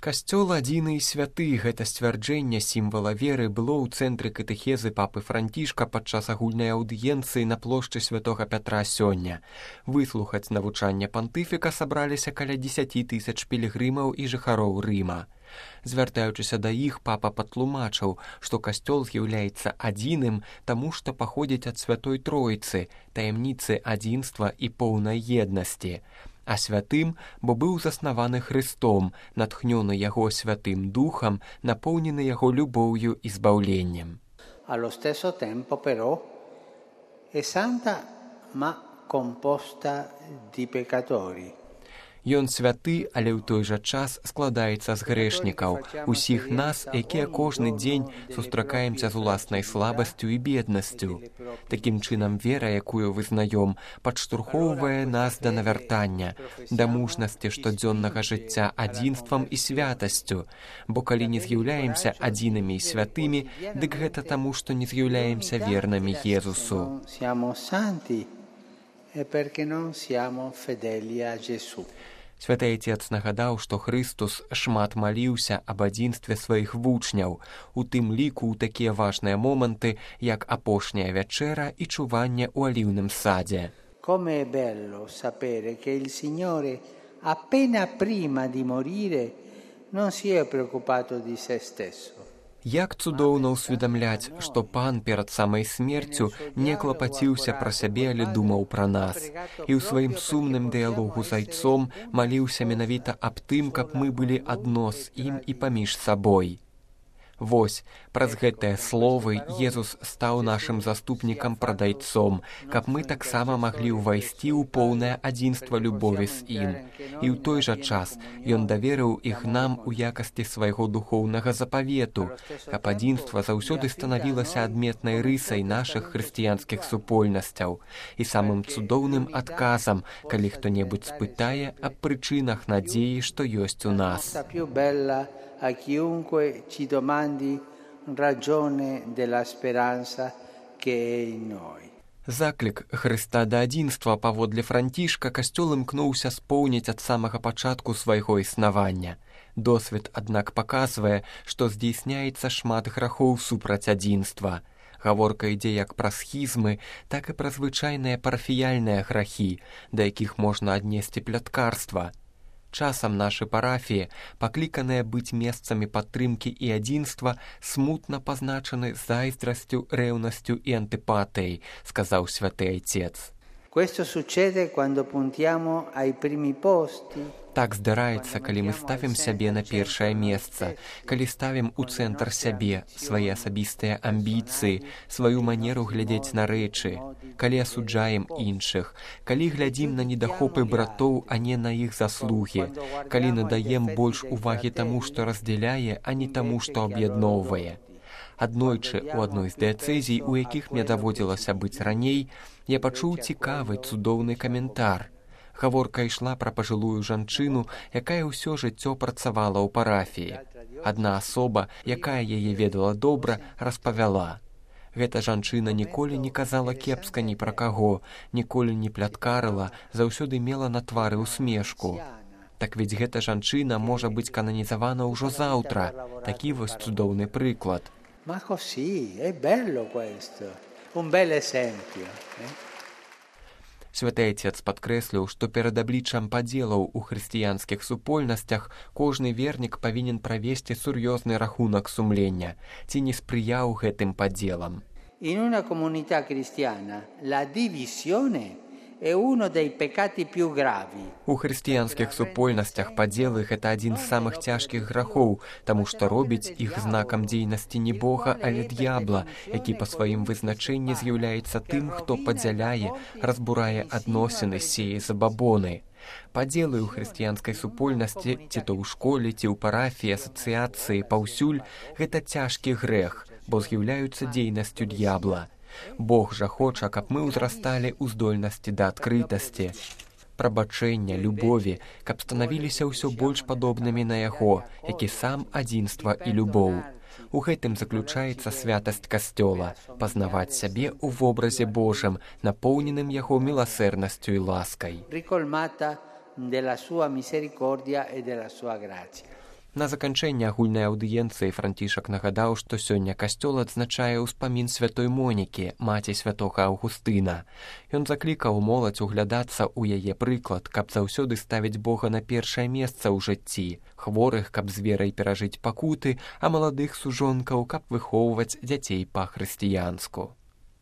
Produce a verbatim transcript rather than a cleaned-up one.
Касцёл адзіны і святы, гэта сцвярджэнне сімвала веры было ў цэнтры катэхезы папы Францішка падчас агульнай аўдыенцыі на плошчы святога Пятра сёння. Выслухаць навучанне пантыфіка сабраліся каля дзесяці тысяч пілігрымаў і жыхароў Рыма. Звяртаючыся да іх, папа патлумачыў, што касцёл з'яўляецца адзіным, таму што паходзіць ад святой Тройцы, таямніцы адзінства і поўнай еднасці. А святым, бо быў заснаваны Христом, натхнёны яго святым духам, напоўнены яго любоўю і збаўленнем. Allo stesso tempo però è santa ma composta di peccatori. Ён святы, але ў той жа час складаецца з грэшнікаў, усіх нас, якія кожны дзень сустракаемся з уласнай слабасцю і беднасцю. Такім чынам вера, якую вызнаём, падштурхоўвае нас да навяртання, да мужнасці штодзённага жыцця адзінствам і святасцю, бо калі не з'яўляемся адзінымі і святымі, дык гэта таму, што не з'яўляемся вернымі Езусу. Святы Отец нагадаў, што Христус шмат маліўся аб адзінстве сваіх вучняў, у тым ліку ў такія важныя моманты, як апошняя вячэра і чуванне ў аліўным садзе. Come è bello sapere che il Signore appena prima di morire non si è preoccupato di se stesso. Як цудоўна ўсведамляць, што пан перад самай смерцю не клапаціўся пра сябе, але думаў пра нас. І ў сваім сумным дыялогу з Айцом маліўся менавіта аб тым, каб мы былі адно з ім і паміж сабой. Вось, праз гэтыя словы Езус стаў нашым заступнікам прад Айцом, каб мы таксама маглі ўвайсці ў поўнае адзінства любові з ім. І ў той жа час Ён даверыў іх нам у якасці свайго духоўнага запавету, каб адзінства заўсёды станавілася адметнай рысай нашых хрысціянскіх супольнасцяў і самым цудоўным адказам, калі хто-небудзь спытае аб прычынах надзеі, што ёсць у нас. A chiunque ci domandi ragione della speranza che è in noi. Заклік Хрыста да адзінства паводле Францішка касцёл імкнуўся споўніць ад самага пачатку свайго існавання. Досвед, аднак, паказвае, што здзейсняецца шмат грахоў супраць адзінства. Гаворка ідзе як пра схізмы, так і пра звычайныя парафіяльныя грахі, да якіх можна аднесці пляткарства. Часам нашы парафіі, пакліканыя быць месцамі падтрымкі і адзінства, смутна пазначаны зайздрасцю, рэўнасцю і антыпатыяй, сказаў святы Айцец. Questo succede quando puntiamo ai primi posti. Так здараецца, калі мы ставім сябе на першае месца, калі ставім у цэнтр сябе, свае асабістыя амбіцыі, сваю манеру глядзець на рэчы, калі асуджаем іншых, калі глядзім на недахопы братоў, а не на іх заслугі, калі надаем больш увагі таму, што раздзяляе, а не таму, што аб'ядноўвае. Аднойчы ў адной з дыяцэзій, у якіх мне даводзілася быць раней, я пачуў цікавы, цудоўны каментар. Гаворка ішла пра пажылую жанчыну, якая ўсё жыццё працавала ў парафіі. Адна асоба, якая яе ведала добра, распавяла. Гэта жанчына ніколі не казала кепска ні пра каго, ніколі не пляткарыла, заўсёды мела на твары усмешку. Так ведь гэта жанчына можа быць кананізавана ўжо заўтра. Такі вось цудоўны прыклад. Ma così, è bello questo, un bel esempio. Святы Отец падкрэсліў, што перад абліччам падзелаў у хрысціянскіх супольнасцях кожны вернік павінен правесці сур'ёзны рахунак сумлення, ці не спрыяў гэтым падзелам. In una comunità cristiana la divisione è uno dei peccati più gravi. У хрысціянскіх супольнасцях падзелы гэта адзін з самых цяжкіх грахоў, таму што робіць іх знакам дзейнасці не Бога, але д'ябла, які па сваім вызначэнні з'яўляецца тым, хто падзяляе, разбурае адносіны, сее забабоны. Падзелы ў хрысціянскай супольнасці, ці то ў школе, ці ў парафіі, асацыяцыі, паўсюль, гэта цяжкі грэх, бо з'яўляюцца дзейнасцю д'ябла. Бог жа хоча, каб мы ўзрасталі ў здольнасці да адкрытасці, прабачэння, любові, каб станавіліся ўсё больш падобнымі на яго, які сам адзінства і любоў. У гэтым заключаецца святасць касцёла, пазнаваць сябе ў вобразе Божым, напоўненым яго міласэрнасцю і ласкай. На заканчэнне агульнай аўдыенцыі Францішак нагадаў, што сёння касцёл адзначае ўспамін святой Монікі, маці святога Аўгустына. Ён заклікаў моладзь углядацца ў яе прыклад, каб заўсёды ставіць Бога на першае месца ў жыцці, хворых, каб з верай перажыць пакуты, а маладых сужонкаў, каб выхоўваць дзяцей па-хрысціянску.